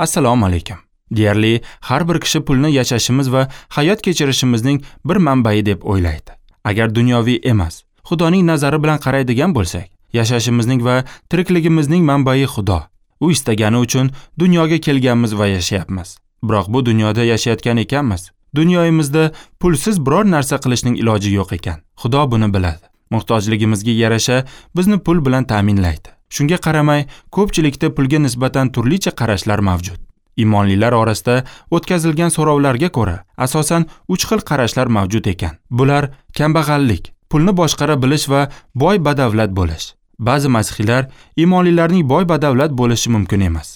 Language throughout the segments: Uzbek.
Assalomu alaykum. Deyarli har bir kishi pulni yashashimiz va hayot kechirishimizning bir manbai deb o'ylaydi. Agar dunyoviy emas, Xudoning nazari bilan qaraydigan bo'lsak, yashashimizning va tirikligimizning manbai Xudo. U istagani uchun dunyoga kelganmiz va yashayapmiz. Biroq bu dunyoda yashayotgan ekanmiz, dunyoyimizda pulsiz biror narsa qilishning iloji yo'q ekan. Xudo buni biladi. Muhtojligimizga yarasha bizni pul bilan ta'minlaydi. Shunga qaramay, ko'pchilikda pulga nisbatan turlicha qarashlar mavjud. Imonlilar orasida o'tkazilgan so'rovlarga ko'ra, asosan 3 xil qarashlar mavjud ekan. Bular kambag'allik, pulni boshqara bilish va boy badavlat bo'lish. Ba'zi masihiylar imonlilarning boy badavlat bo'lishi mumkin emas.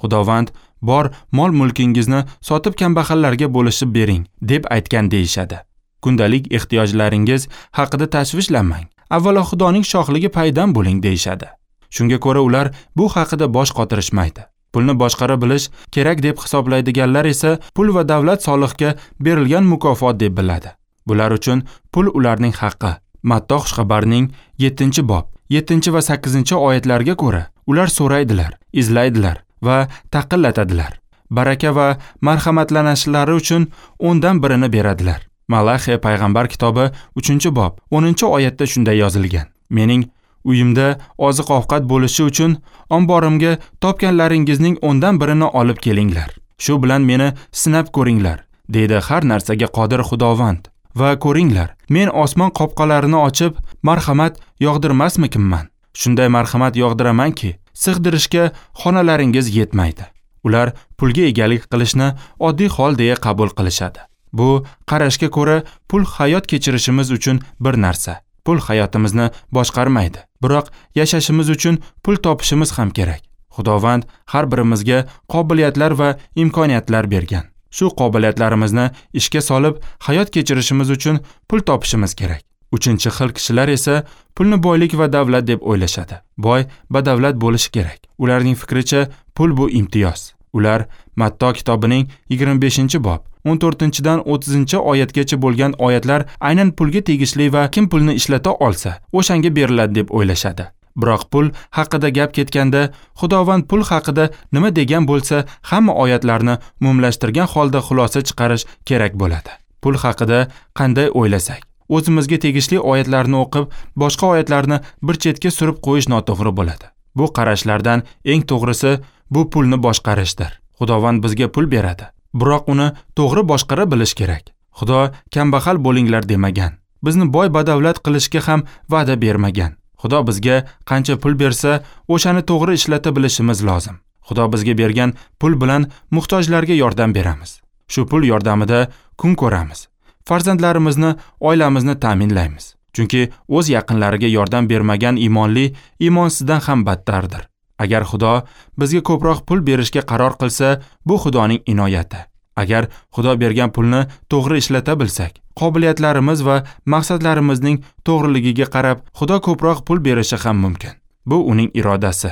Xudovand bor mol-mulkingizni sotib kambag'allarga bo'lishib bering deb aytgan deyishadi. Kundalik ehtiyojlaringiz haqida tashvishlanmang. Avvalo Xudoning shohligi paydan bo'ling deyishadi. Shunga ko'ra ular bu haqida bosh qotirishmaydi. Pulni boshqara bilish kerak deb hisoblaydiganlar esa pul va davlat soliqqa berilgan mukofot deb biladi. Bular uchun pul ularning haqqi. Matto xushxabarning 7-bob, 7 va 8 oyatlarga ko'ra ular so'raydilar, izlaydilar va taqillatadilar. Baraka va marhamatlanishlari uchun 10dan birini beradilar. Malaxiya payg'ambar kitobi 3-bob, 10-oyatda shunday yozilgan: Mening uyimda oziq-ovqat bo'lishi uchun omborimga topganlaringizning 10dan birini olib kelinglar. Shu bilan meni sinab ko'ringlar, deydi har narsaga qodir Xudovand. Va ko'ringlar, men osmon qopqalarini ochib, marhamat yog'dirmasmikinman? Shunday marhamat yog'diramanki, sig'dirishga xonalaringiz yetmaydi. Ular pulga egalik qilishni oddiy hol deya qabul qilishadi. Bu qarashga ko'ra pul hayot kechirishimiz uchun bir narsa. Pul hayotimizni boshqarmaydi. Biroq yashashimiz uchun pul topishimiz ham kerak. Xudovand har birimizga qobiliyatlar va imkoniyatlar bergan. Shu qobiliyatlarimizni ishga solib, hayot kechirishimiz uchun pul topishimiz kerak. 3-xil kishilar esa pulni boylik va davlat deb o'ylashadi. Boy badavlat bo'lishi kerak. Ularning fikricha pul bu imtiyoz. Ular Matto kitobining 25-bob, 14-dan 30-oyatgacha bo'lgan oyatlar aynan pulga tegishli va kim pulni ishlata olsa, o'shanga beriladi deb o'ylashadi. Biroq pul haqida gap ketganda, Xudovand pul haqida nima degan bo'lsa, hamma oyatlarni umumlashtirgan holda xulosa chiqarish kerak bo'ladi. Pul haqida qanday o'ylasak, o'zimizga tegishli oyatlarni o'qib, boshqa oyatlarni bir chetga surib qo'yish noto'g'ri bo'ladi. Bu qarashlardan eng to'g'risi bu pulni boshqarishdir. Xudovand bizga pul beradi, biroq uni to'g'ri boshqara bilish kerak. Xudo kambag'al bo'linglar demagan. Bizni boy badavlat qilishga ham va'da bermagan. Xudo bizga qancha pul bersa, o'shani to'g'ri ishlata bilishimiz lozim. Xudo bizga bergan pul bilan muhtojlarga yordam beramiz. Shu pul yordamida kun ko'ramiz. Farzandlarimizni, oilamizni ta'minlaymiz. Chunki o'z yaqinlariga yordam bermagan imonli imonsizdan ham battardir. Agar Xudo bizga ko'proq pul berishga qaror qilsa, bu Xudoning inoyati. Agar Xudo bergan pulni to'g'ri ishlata bilsak, qobiliyatlarimiz va maqsadlarimizning to'g'riligiga qarab Xudo ko'proq pul berishi ham mumkin. Bu uning irodasi.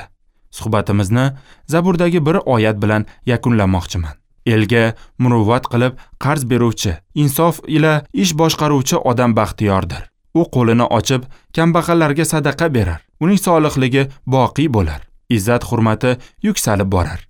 Suhbatimizni Zaburdagi bir oyat bilan yakunlamoqchiman. Elga muruvvat qilib qarz beruvchi, insof ila ish boshqaruvchi odam baxtiyordir. U qo'lini ochib kambag'allarga sadaqa berar. Uning solihligi boqiy bo'lar. Izzat hurmati yuksalib borar.